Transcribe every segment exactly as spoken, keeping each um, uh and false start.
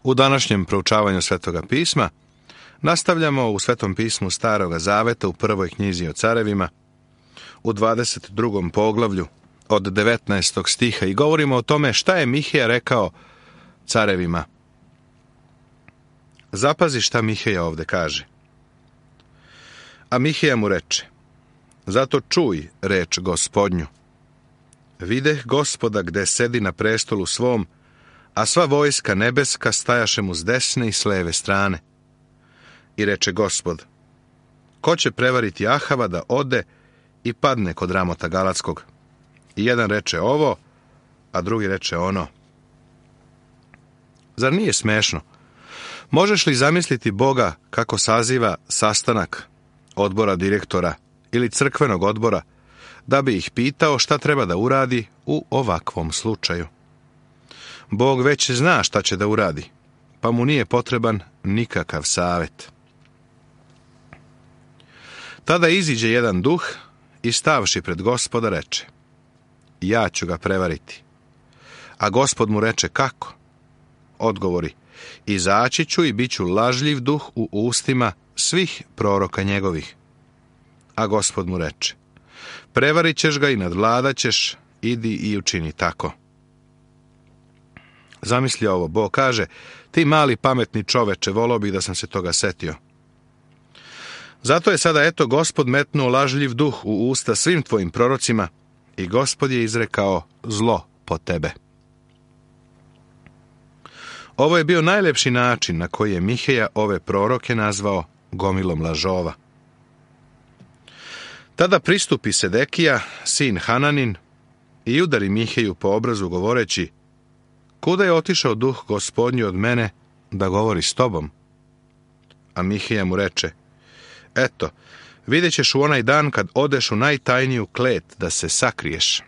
U današnjem proučavanju Svetoga pisma nastavljamo u Svetom pismu Staroga zaveta u prvoj knjizi o carevima, u dvadeset drugom poglavlju od devetnaestog stiha i govorimo o tome šta je Mihija rekao carevima. Zapazi šta Mihija ovde kaže. A Mihija mu reče: zato čuj reč Gospodnju. Videh Gospoda gde sedi na prestolu svom, a sva vojska nebeska stajaše mu s desne i s leve strane. I reče Gospod: ko će prevariti Ahava da ode i padne kod Ramota Galatskog? I jedan reče ovo, a drugi reče ono. Zar nije smešno? Možeš li zamisliti Boga kako saziva sastanak odbora direktora ili crkvenog odbora da bi ih pitao šta treba da uradi u ovakvom slučaju? Bog već zna šta će da uradi, pa mu nije potreban nikakav savjet. Tada iziđe jedan duh i stavši pred Gospoda reče: ja ću ga prevariti. A Gospod mu reče: kako? Odgovori: izaći ću i bit ću lažljiv duh u ustima svih proroka njegovih. A Gospod mu reče: prevarit ćeš ga i nadvladat ćeš, idi i učini tako. Zamisli ovo, Bog kaže: ti mali pametni čoveče, volao bih da sam se toga setio. Zato je sada eto Gospod metnuo lažljiv duh u usta svim tvojim prorocima i Gospod je izrekao zlo po tebe. Ovo je bio najlepši način na koji je Mihija ove proroke nazvao gomilom lažova. Tada pristupi Sedekija, sin Hananin, i udari Mihiju po obrazu govoreći: kuda je otišao duh Gospodnji od mene da govori s tobom? A Mihija mu reče: eto, vidjet ćeš u onaj dan kad odeš u najtajniju klet da se sakriješ.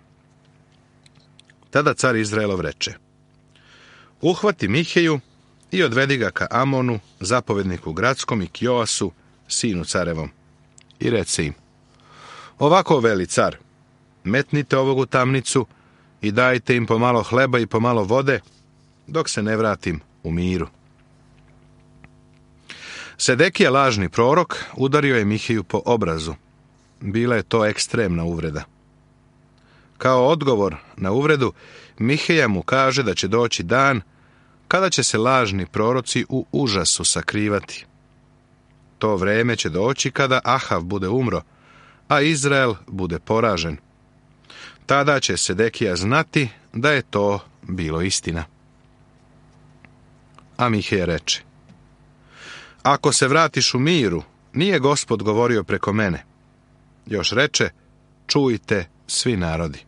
Tada car Izraelov reče: uhvati Mihiju i odvedi ga ka Amonu, zapovedniku gradskom, i k Joasu, sinu carevom. I rece im: ovako veli car, metnite ovog u tamnicu i dajte im pomalo hleba i pomalo vode, dok se ne vratim u miru. Sedekija, lažni prorok, udario je Mihiju po obrazu. Bila je to ekstremna uvreda. Kao odgovor na uvredu, Mihija mu kaže da će doći dan kada će se lažni proroci u užasu sakrivati. To vreme će doći kada Ahav bude umro, a Izrael bude poražen. Tada će Sedekija znati da je to bilo istina. A Mihija reče: ako se vratiš u miru, nije Gospod govorio preko mene. Još reče: čujte svi narodi.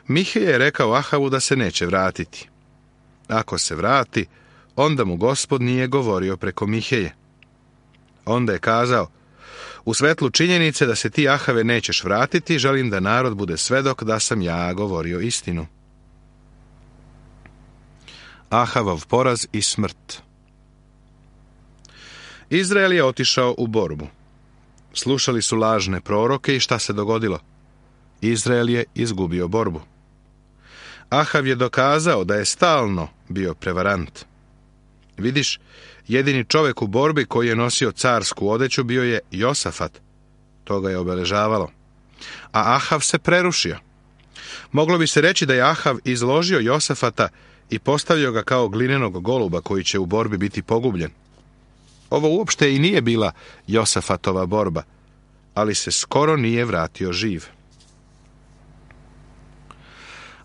Mihija je rekao Ahavu da se neće vratiti. Ako se vrati, onda mu Gospod nije govorio preko Mihije. Onda je kazao: u svetlu činjenice da se ti, Ahave, nećeš vratiti, želim da narod bude svedok da sam ja govorio istinu. Ahavov poraz i smrt. Izrael je otišao u borbu. Slušali su lažne proroke i šta se dogodilo? Izrael je izgubio borbu. Ahav je dokazao da je stalno bio prevarant. Vidiš, jedini čovjek u borbi koji je nosio carsku odeću bio je Josafat. To ga je obeležavalo. A Ahav se prerušio. Moglo bi se reći da je Ahav izložio Josafata i postavio ga kao glinenog goluba koji će u borbi biti pogubljen. Ovo uopšte i nije bila Josafatova borba, ali se skoro nije vratio živ.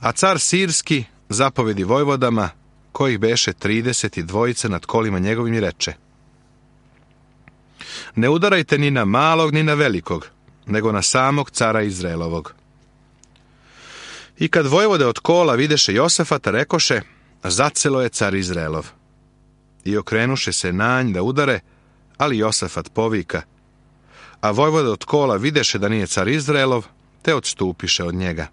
A car Sirski zapovedi vojvodama, kojih beše trideset i dvojice nad kolima njegovim, i reče: ne udarajte ni na malog ni na velikog, nego na samog cara Izraelovog. I kad vojvode od kola videše Josafata, rekoše: zacelo je car Izraelov. I okrenuše se na nj da udare, ali Josafat povika. A vojvode od kola videše da nije car Izraelov, te odstupiše od njega.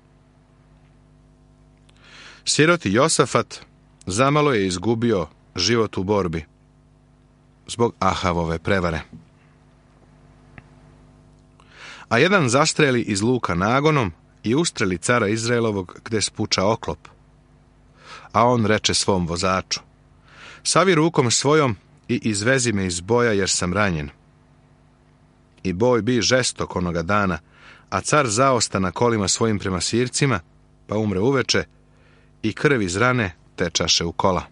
Siroti Josafat zamalo je izgubio život u borbi zbog Ahavove prevare. A jedan zastreli iz luka nagonom i ustreli cara Izraelovog gde spuča oklop. A on reče svom vozaču: savi rukom svojom i izvezi me iz boja, jer sam ranjen. I boj bi žestok onoga dana, a car zaosta na kolima svojim prema Sircima, pa umre uveče, i krv iz rane tečaše u kola.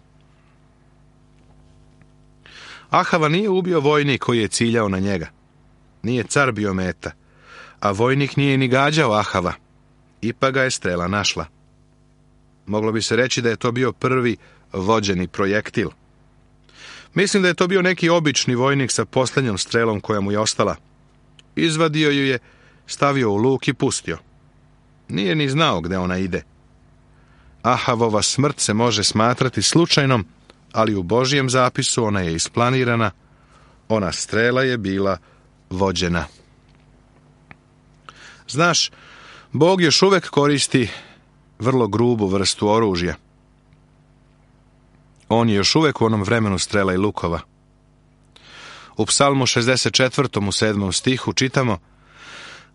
Ahava nije ubio vojnik koji je ciljao na njega. Nije car bio meta, a vojnik nije ni gađao Ahava. Ipak ga je strela našla. Moglo bi se reći da je to bio prvi vođeni projektil. Mislim da je to bio neki obični vojnik sa posljednjom strelom koja mu je ostala. Izvadio ju je, stavio u luk i pustio. Nije ni znao gde ona ide. Ahavova smrt se može smatrati slučajnom, ali u Božjem zapisu ona je isplanirana, ona strela je bila vođena. Znaš, Bog još uvek koristi vrlo grubu vrstu oružja. On je još uvek u onom vremenu strela i lukova. U Psalmu šezdeset četvrtom u sedmom stihu čitamo: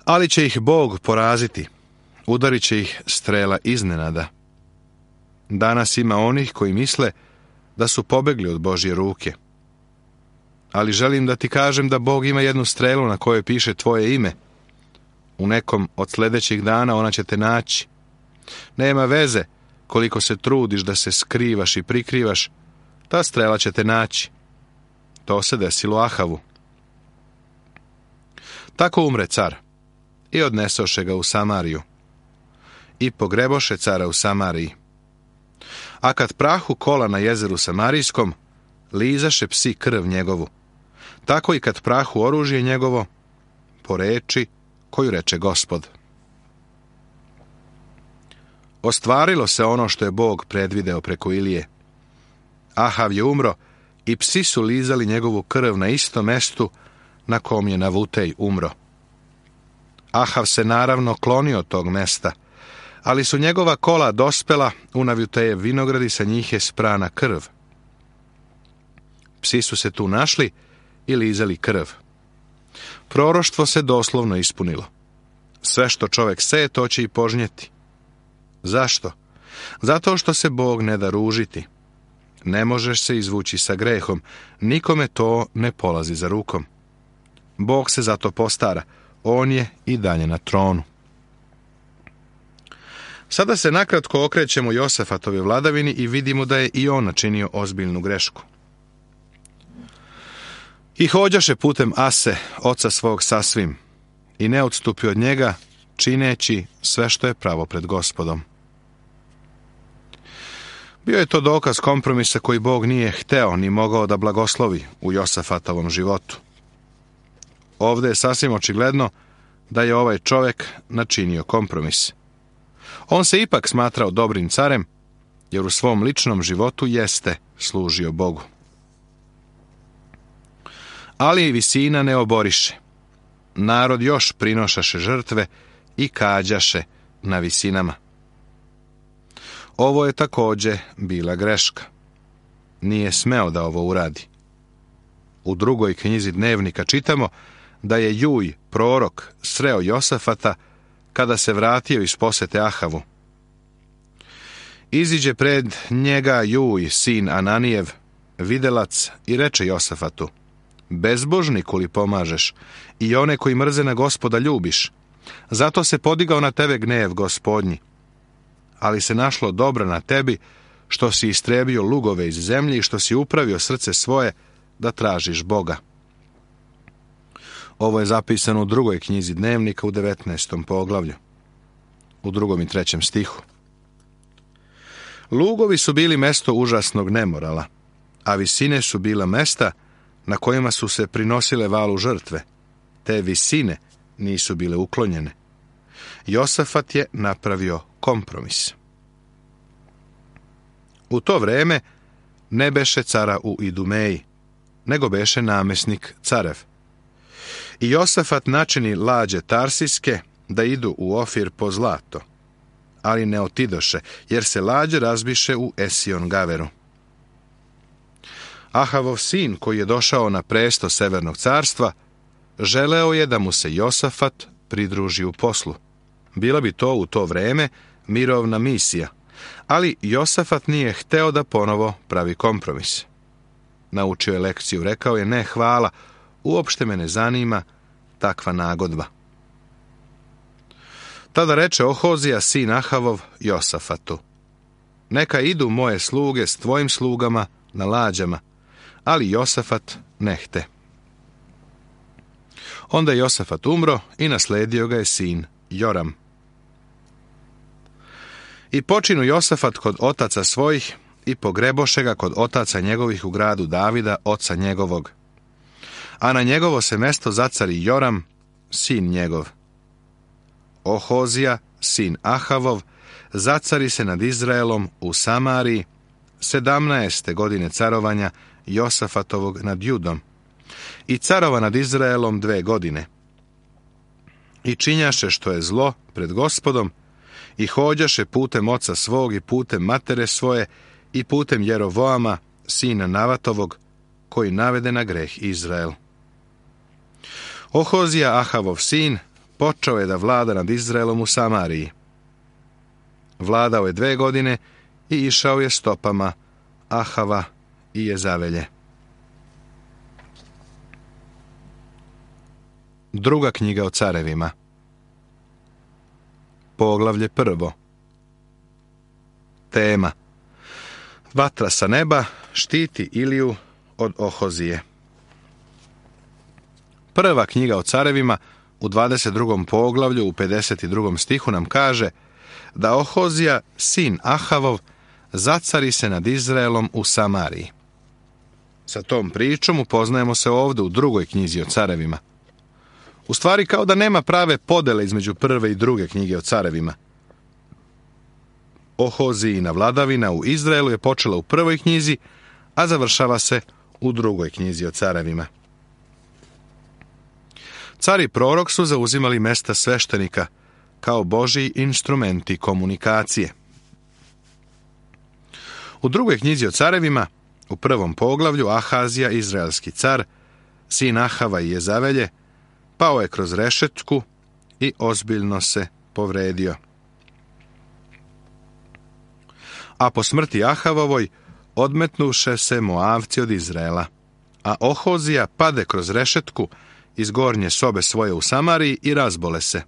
ali će ih Bog poraziti, udarit će ih strela iznenada. Danas ima onih koji misle da su pobegli od Božje ruke. Ali želim da ti kažem da Bog ima jednu strelu na kojoj piše tvoje ime. U nekom od sljedećih dana ona će te naći. Nema veze koliko se trudiš da se skrivaš i prikrivaš, ta strela će te naći. To se desilo Ahavu. Tako umre car i odnesoše ga u Samariju. I pogreboše cara u Samariji. A kad prahu kola na jezeru Samarijskom, lizaše psi krv njegovu. Tako i kad prahu oružje njegovo, po reči koju reče Gospod. Ostvarilo se ono što je Bog predvideo preko Ilije. Ahav je umro i psi su lizali njegovu krv na istom mestu na kom je Navutej umro. Ahav se naravno klonio od tog mesta, ali su njegova kola dospela u Navutejev vinograd i sa njih je sprana krv. Psi su se tu našli i lizali krv. Proroštvo se doslovno ispunilo. Sve što čovjek seje, to će i požnjeti. Zašto? Zato što se Bog ne da ružiti. Ne možeš se izvući sa grehom, nikome to ne polazi za rukom. Bog se zato postara, on je i dalje na tronu. Sada se nakratko okrećemo Josafatove vladavini i vidimo da je i on načinio ozbiljnu grešku. I hođaše putem Ase, oca svog sasvim, i ne odstupi od njega, čineći sve što je pravo pred Gospodom. Bio je to dokaz kompromisa koji Bog nije hteo ni mogao da blagoslovi u Josafatovom životu. Ovdje je sasvim očigledno da je ovaj čovjek načinio kompromis. On se ipak smatrao dobrim carem, jer u svom ličnom životu jeste služio Bogu. Ali visina ne oboriše. Narod još prinošaše žrtve i kađaše na visinama. Ovo je također bila greška. Nije smeo da ovo uradi. U drugoj knjizi Dnevnika čitamo da je Juj, prorok, sreo Josafata kada se vratio iz posete Ahavu. Iziđe pred njega Juj, sin Ananijev, videlac, i reče Josafatu: bezbožniku li pomažeš i one koji mrze na Gospoda ljubiš? Zato se podigao na tebe gnev Gospodnji. Ali se našlo dobro na tebi što si istrebio lugove iz zemlje i što si upravio srce svoje da tražiš Boga. Ovo je zapisano u drugoj knjizi Dnevnika u devetnaestom poglavlju, u drugom i trećem stihu. Lugovi su bili mesto užasnog nemorala, a visine su bila mesta na kojima su se prinosile valu žrtve. Te visine nisu bile uklonjene. Josafat je napravio kompromis. U to vreme ne beše cara u Idumeji, nego beše namesnik carev. I Josafat načini lađe tarsijske da idu u Ofir po zlato, ali ne otidoše, jer se lađe razbiše u Esion Gaveru. Ahavov sin, koji je došao na presto Severnog carstva, želeo je da mu se Josafat pridruži u poslu. Bila bi to u to vreme mirovna misija, Ali Josafat nije hteo da ponovo pravi kompromis. Naučio je lekciju, rekao je: ne, hvala, uopšte me ne zanima takva nagodba. Tada reče Ohozija, sin Ahavov, Josafatu: neka idu moje sluge s tvojim slugama na lađama, ali Josafat ne hte. Onda je Josafat umro i nasledio ga je sin Joram. I počinu Josafat kod otaca svojih i pogreboše ga kod otaca njegovih u gradu Davida, oca njegovog. A na njegovo se mesto zacari Joram, sin njegov. Ohozija, sin Ahavov, zacari se nad Izraelom u Samariji sedamnaeste godine carovanja Josafatovog nad Judom i carova nad Izraelom dve godine. I činjaše što je zlo pred Gospodom i hođaše putem oca svog i putem matere svoje i putem Jerovoama, sina Navatovog, koji navede na greh Izrael. Ohozija, Ahavov sin, počeo je da vlada nad Izraelom u Samariji. Vladao je dve godine i išao je stopama Ahava i Jezavelje. Druga knjiga o carevima. Poglavlje prvo. Tema: vatra sa neba štiti Iliju od Ohozije. Prva knjiga o carevima u dvadeset drugom poglavlju u pedeset drugom stihu nam kaže da Ohozija, sin Ahavov, zacari se nad Izraelom u Samariji. Sa tom pričom upoznajemo se ovdje u drugoj knjizi o carevima. U stvari kao da nema prave podele između prve i druge knjige o carevima. Ohozijina vladavina u Izraelu je počela u prvoj knjizi, a završava se u drugoj knjizi o carevima. Car i prorok su zauzimali mesta sveštenika kao božji instrumenti komunikacije. U drugoj knjizi o carevima, u prvom poglavlju, Ahazija, izraelski car, sin Ahava i Jezavelje, pao je kroz rešetku i ozbiljno se povredio. A po smrti Ahavovoj odmetnuše se Moavci od Izraela, a Ohozija pade kroz rešetku iz gornje sobe svoje u Samariji i razbole se.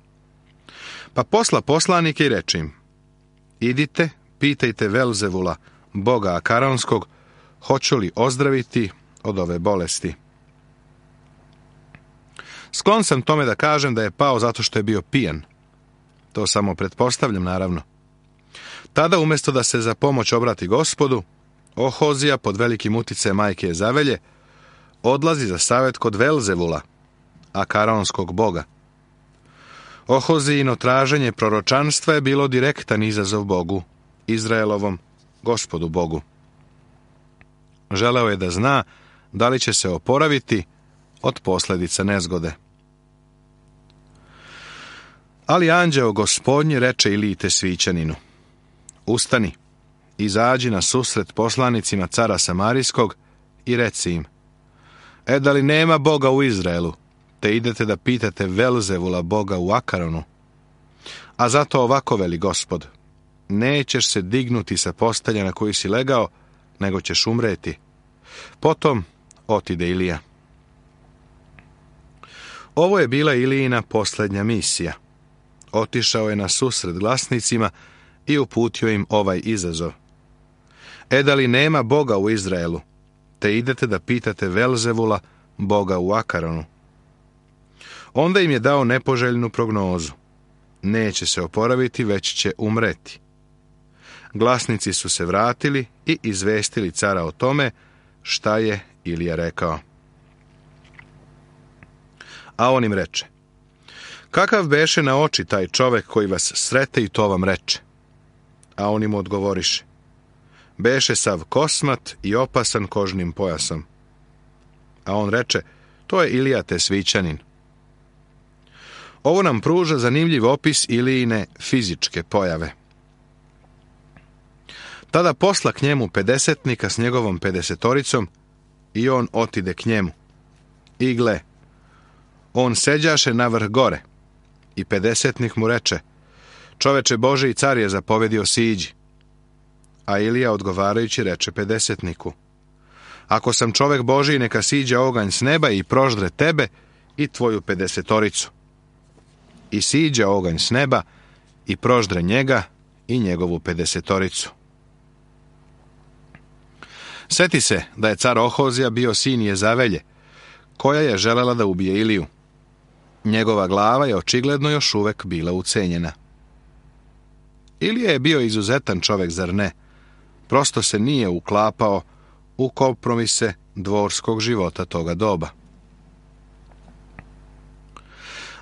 Pa posla poslanike i reče im: idite, pitajte Velzevula, boga Akaronskog, hoću li ozdraviti od ove bolesti. Sklon sam tome da kažem da je pao zato što je bio pijan. To samo pretpostavljam, naravno. Tada, umjesto da se za pomoć obrati Gospodu, Ohozija, pod velikim uticajem majke Jezavelje, odlazi za savjet kod Velzevula, Akaronskog boga. Ohozijino traženje proročanstva je bilo direktan izazov Bogu, Izraelovom Gospodu Bogu. Želeo je da zna da li će se oporaviti od posljedica nezgode. Ali anđeo Gospodnji reče Iliji Tesvićaninu: ustani, izađi na susret poslanicima cara Samarijskog i reci im: e, da li nema Boga u Izraelu, te idete da pitate Velzevula, boga u Akaronu? A zato ovako veli Gospod: nećeš se dignuti sa postelja na koju si legao, nego ćeš umreti. Potom otide Ilija. Ovo je bila Ilijina posljednja misija. Otišao je na susret glasnicima i uputio im ovaj izazov: e, da li nema Boga u Izraelu, te idete da pitate Velzevula, boga u Akaronu? Onda im je dao nepoželjnu prognozu: neće se oporaviti, već će umreti. Glasnici su se vratili i izvestili cara o tome šta je Ilija rekao. A on im reče: kakav beše na oči taj čovek koji vas srete i to vam reče? A oni mu odgovoriše: beše sav kosmat i opasan kožnim pojasom. A on reče: to je Ilija Tesvićanin. Ovo nam pruža zanimljiv opis Ilijine fizičke pojave. Tada posla k njemu pedesetnika s njegovom pedesetoricom i on otide k njemu. I gle, on seđaše na vrh gore i pedesetnik mu reče: čoveče Bože i car je zapovedio siđi. A Ilija odgovarajući reče pedesetniku: Ako sam čovek Božiji, neka siđe oganj s neba i proždre tebe i tvoju pedesetoricu. I siđe oganj s neba i proždre njega i njegovu pedesetoricu. Seti se da je car Ohozija bio sin Jezavelje, koja je želela da ubije Iliju. Njegova glava je očigledno još uvek bila ucenjena. Ilija je bio izuzetan čovek, zar ne? Prosto se nije uklapao u kompromise dvorskog života toga doba.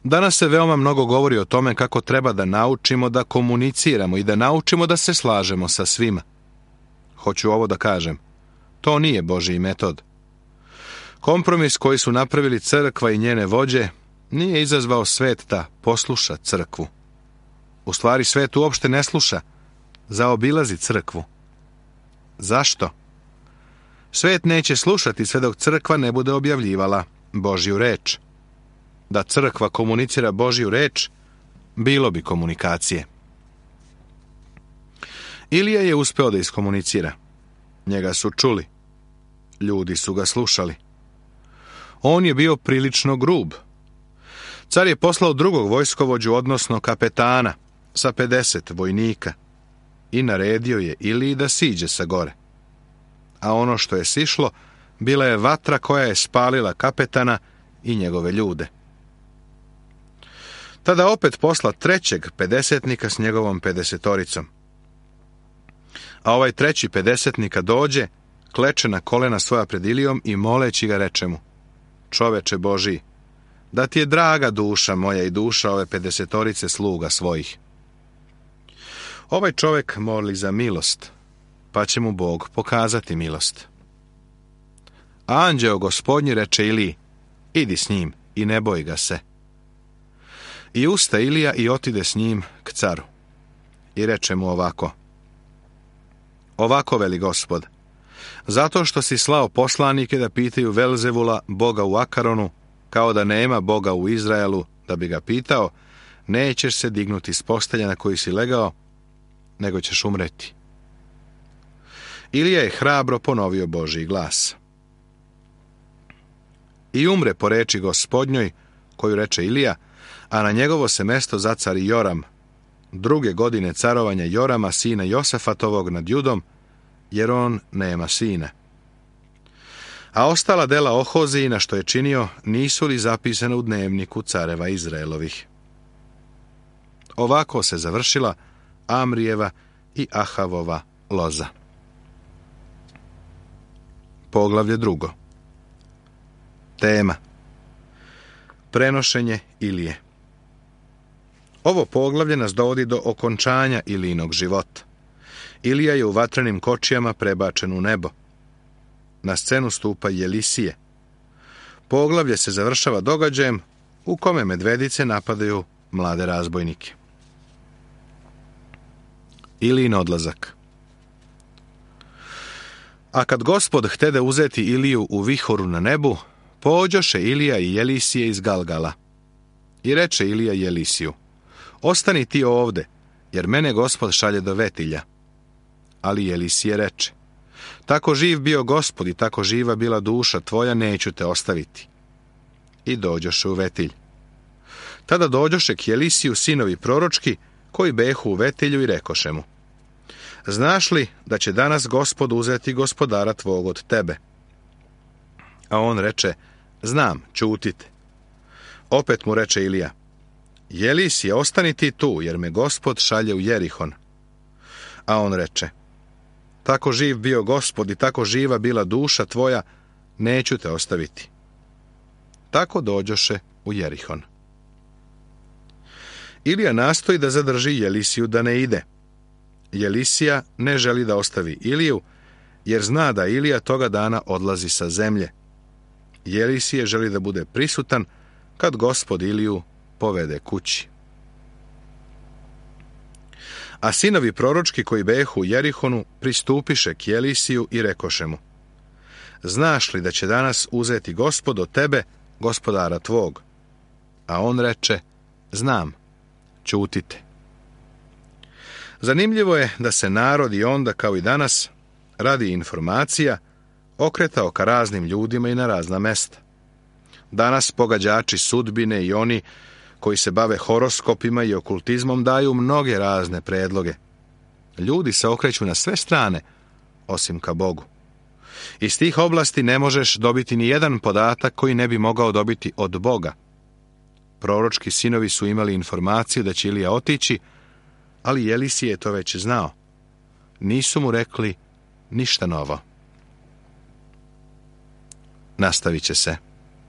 Danas se veoma mnogo govori o tome kako treba da naučimo da komuniciramo i da naučimo da se slažemo sa svima. Hoću ovo da kažem. To nije Božji metod. Kompromis koji su napravili crkva i njene vođe nije izazvao svet da posluša crkvu. U stvari svet uopšte ne sluša, zaobilazi crkvu. Zašto? Svet neće slušati sve dok crkva ne bude objavljivala Božju reč. Da crkva komunicira Božju reč, bilo bi komunikacije. Ilija je uspeo da iskomunicira. Njega su čuli. Ljudi su ga slušali. On je bio prilično grub. Car je poslao drugog vojskovođu, odnosno kapetana, sa pedeset vojnika i naredio je Iliji da siđe sa gore. A ono što je sišlo, bila je vatra koja je spalila kapetana i njegove ljude. Tada opet posla trećeg pedesetnika s njegovom pedesetoricom. A ovaj treći pedesetnika dođe, kleče na kolena svoja pred Ilijom i moleći ga reče mu: Čoveče Božiji, da ti je draga duša moja i duša ove pedesetorice sluga svojih. Ovaj čovek moli za milost, pa će mu Bog pokazati milost. A anđeo Gospodnji reče Iliji: Idi s njim i ne boj ga se. I usta Ilija i otide s njim k caru. I reče mu ovako: Ovako veli Gospod, zato što si slao poslanike da pitaju Velzevula, boga u Akaronu, kao da nema Boga u Izraelu, da bi ga pitao, nećeš se dignuti s postelja na koji si legao, nego ćeš umreti. Ilija je hrabro ponovio Božji glas. I umre po reči Gospodnjoj, koju reče Ilija, a na njegovo se mesto zacari Joram, druge godine carovanja Jorama, sina Josafatovog nad Judom, jer on nema sina. A ostala dela Ohozijina što je činio, nisu li zapisane u dnevniku careva Izraelovih. Ovako se završila Amrijeva i Ahavova loza. Poglavlje drugo. Tema: Prenošenje Ilije. Ovo poglavlje nas dovodi do okončanja Ilijinog života. Ilija je u vatrenim kočijama prebačen u nebo. Na scenu stupa Jelisije. Poglavlje se završava događajem u kome medvedice napadaju mlade razbojnike. Ilijin odlazak. A kad Gospod htede uzeti Iliju u vihoru na nebu, pođoše Ilija i Jelisije iz Galgala. I reče Ilija Jelisiju: Ostani ti ovde, jer mene Gospod šalje do Vetilja. Ali Jelisije reče: Tako živ bio Gospod i tako živa bila duša tvoja, neću te ostaviti. I dođoše u Vetilj. Tada dođoše k Jelisiju sinovi proročki, koji behu u Vetilju, i rekoše mu: Znaš li da će danas Gospod uzeti gospodara tvog od tebe? A on reče: Znam, ćutite. Opet mu reče Ilija: Jelisije, ostani ti tu, jer me Gospod šalje u Jerihon. A on reče: Tako živ bio Gospod i tako živa bila duša tvoja, neću te ostaviti. Tako dođoše u Jerihon. Ilija nastoji da zadrži Jelisiju da ne ide. Jelisija ne želi da ostavi Iliju, jer zna da Ilija toga dana odlazi sa zemlje. Jelisije želi da bude prisutan kad Gospod Iliju povede kući. A sinovi proročki koji behu u Jerihonu pristupiše k Jelisiju i rekoše mu: Znaš li da će danas uzeti Gospod od tebe, gospodara tvog? A on reče: Znam, ćutite. Zanimljivo je da se narod i onda, kao i danas, radi informacija, okretao ka raznim ljudima i na razna mesta. Danas pogađači sudbine i oni koji se bave horoskopima i okultizmom daju mnoge razne predloge. Ljudi se okreću na sve strane, osim ka Bogu. Iz tih oblasti ne možeš dobiti ni jedan podatak koji ne bi mogao dobiti od Boga. Proročki sinovi su imali informaciju da će Ilija otići, ali Elisije je to već znao. Nisu mu rekli ništa novo. Nastavit će se.